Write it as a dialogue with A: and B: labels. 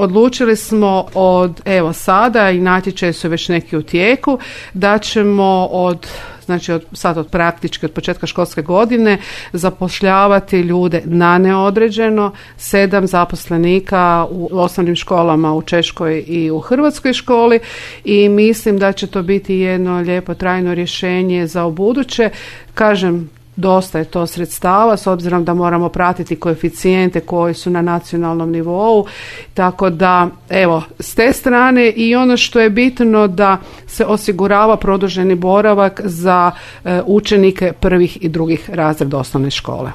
A: Odlučili smo od sada, i natječaji su već neki u tijeku, da ćemo od praktički od početka školske godine zapošljavati ljude na neodređeno, 7 zaposlenika u osnovnim školama u Češkoj i u Hrvatskoj školi, i mislim da će to biti jedno lijepo trajno rješenje za ubuduće. Kažem, dosta je to sredstava s obzirom da moramo pratiti koeficijente koji su na nacionalnom nivou, tako da s te strane, i ono što je bitno da se osigurava produženi boravak za učenike prvih i drugih razreda osnovne škole.